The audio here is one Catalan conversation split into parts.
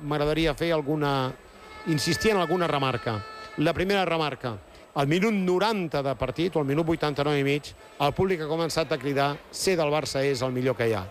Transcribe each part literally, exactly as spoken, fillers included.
M'agradaria fer alguna... insistir en alguna remarca. La primera remarca. Al minut noranta de partit, o al minut vuitanta-nou i mig, el públic ha començat a cridar ser del Barça és el millor que hi ha.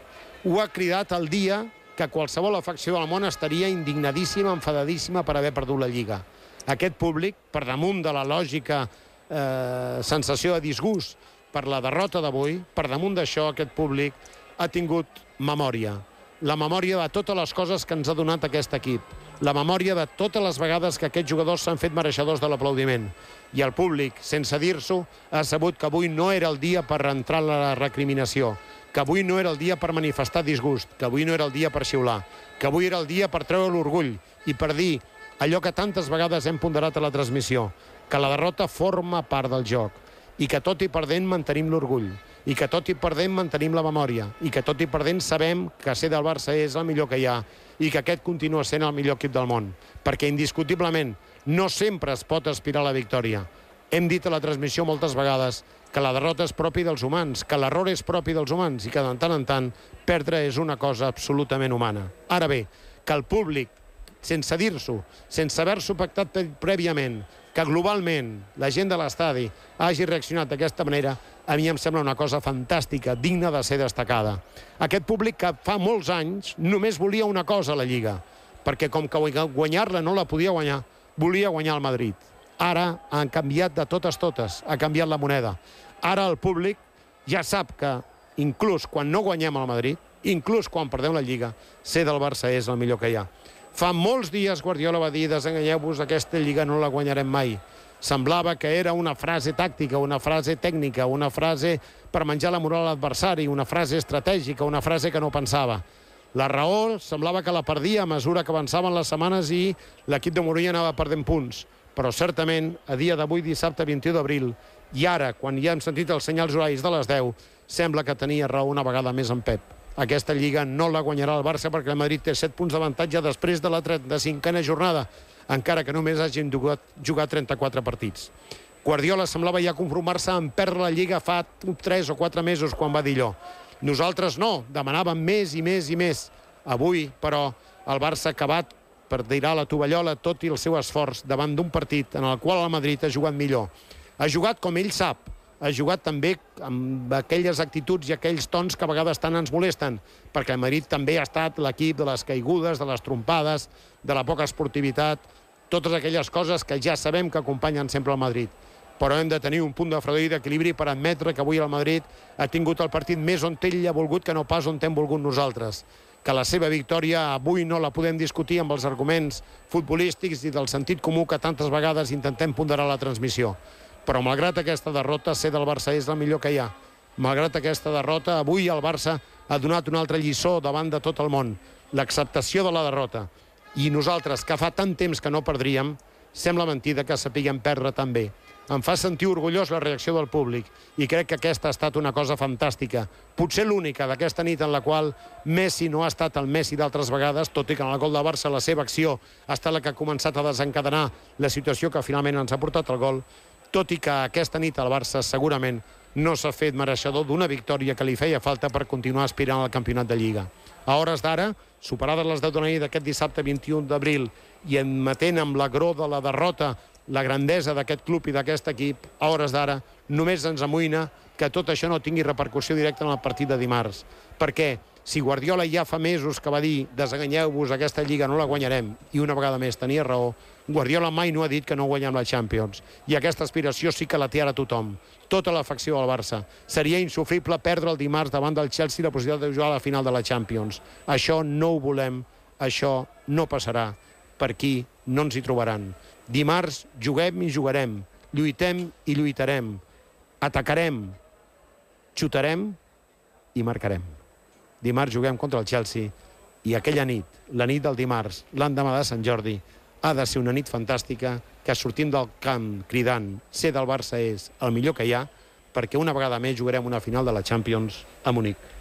Ho ha cridat el dia que qualsevol afecció del món estaria indignadíssima, enfadadíssima per haver perdut la Lliga. Aquest públic, per damunt de la lògica eh, sensació de disgust per la derrota d'avui, per damunt d'això aquest públic ha tingut memòria. La memòria de totes les coses que ens ha donat aquest equip. La memòria de totes les vegades que aquests jugadors s'han fet mereixedors de l'aplaudiment. I el públic, sense dir-s'ho, ha sabut que avui no era el dia per entrar en la recriminació, que avui no era el dia per manifestar disgust, que avui no era el dia per xiular, que avui era el dia per treure l'orgull i per dir allò que tantes vegades hem ponderat a la transmissió, que la derrota forma part del joc i que tot i perdent mantenim l'orgull, i que tot i perdent mantenim la memòria, i que tot i perdent sabem que ser del Barça és el millor que hi ha i que aquest continua sent el millor equip del món, perquè indiscutiblement no sempre es pot aspirar a la victòria. Hem dit a la transmissió moltes vegades que la derrota és propi dels humans, que l'error és propi dels humans i que de tant en tant perdre és una cosa absolutament humana. Ara bé, que el públic, sense dir-s'ho, sense haver-s'ho pactat prèviament, que globalment la gent de l'estadi hagi reaccionat d'aquesta manera, a mi em sembla una cosa fantàstica, digna de ser destacada. Aquest públic que fa molts anys només volia una cosa a la Lliga, perquè com que guanyar-la no la podia guanyar, volia guanyar el Madrid. Ara han canviat de totes totes, ha canviat la moneda. Ara el públic ja sap que inclús quan no guanyem el Madrid, inclús quan perdem la Lliga, ser del Barça és el millor que hi ha. Fa molts dies Guardiola va dir desenganyeu-vos, aquesta Lliga no la guanyarem mai. Semblava que era una frase tàctica, una frase tècnica, una frase per menjar la moral a l'adversari, una frase estratègica, una frase que no pensava. La raó semblava que la perdia a mesura que avançaven les setmanes i l'equip de Mourinho anava perdent punts. Però certament, a dia d'avui, dissabte vint-i-u d'abril, i ara, quan ja hem sentit els senyals horaris de les deu, sembla que tenia raó una vegada més en Pep. Aquesta Lliga no la guanyarà el Barça perquè el Madrid té set punts d'avantatge després de la trenta-cinquena jornada, encara que només hagin jugat, jugat trenta-quatre partits. Guardiola semblava ja conformar-se en perdre la Lliga fa tres o quatre mesos quan va dir allò. Nosaltres no, demanàvem més i més i més. Avui, però, el Barça ha acabat per tirar la tovallola tot i el seu esforç davant d'un partit en el qual el Madrid ha jugat millor. Ha jugat com ell sap, ha jugat també amb aquelles actituds i aquells tons que a vegades tant ens molesten, perquè el Madrid també ha estat l'equip de les caigudes, de les trompades, de la poca esportivitat, totes aquelles coses que ja sabem que acompanyen sempre el Madrid. Però hem de tenir un punt de fredor i d'equilibri per admetre que avui el Madrid ha tingut el partit més on ell ha volgut que no pas on hem volgut nosaltres. Que la seva victòria avui no la podem discutir amb els arguments futbolístics i del sentit comú que tantes vegades intentem ponderar a la transmissió. Però malgrat aquesta derrota, ser del Barça és el millor que hi ha. Malgrat aquesta derrota, avui el Barça ha donat una altra lliçó davant de tot el món. L'acceptació de la derrota. I nosaltres, que fa tant temps que no perdríem, sembla mentida que sapiguem perdre també. Em fa sentir orgullós la reacció del públic i crec que aquesta ha estat una cosa fantàstica. Potser l'única d'aquesta nit en la qual Messi no ha estat el Messi d'altres vegades, tot i que en el gol de Barça la seva acció ha estat la que ha començat a desencadenar la situació que finalment ens ha portat el gol, tot i que aquesta nit el Barça segurament no s'ha fet mereixedor d'una victòria que li feia falta per continuar aspirant al campionat de Lliga. A hores d'ara, superades les deu de la nit d'aquest dissabte vint-i-u d'abril i admetent amb l'agror de la derrota la grandesa d'aquest club i d'aquest equip, a hores d'ara només ens amoïna que tot això no tingui repercussió directa en el partit de dimarts. Perquè si Guardiola ja fa mesos que va dir desenganyeu-vos, aquesta Lliga no la guanyarem, i una vegada més tenia raó, Guardiola mai no ha dit que no guanyem la Champions. I aquesta aspiració sí que la té ara tothom. Tota l'afecció al Barça. Seria insufrible perdre el dimarts davant del Chelsea la possibilitat de jugar a la final de la Champions. Això no ho volem, això no passarà. Per aquí no ens hi trobaran. Dimarts juguem i jugarem, lluitem i lluitarem, atacarem, xutarem i marcarem. Dimarts juguem contra el Chelsea i aquella nit, la nit del dimarts, l'endemà de Sant Jordi, ha de ser una nit fantàstica que sortim del camp cridant ser del Barça és el millor que hi ha, perquè una vegada més jugarem una final de la Champions a Munic.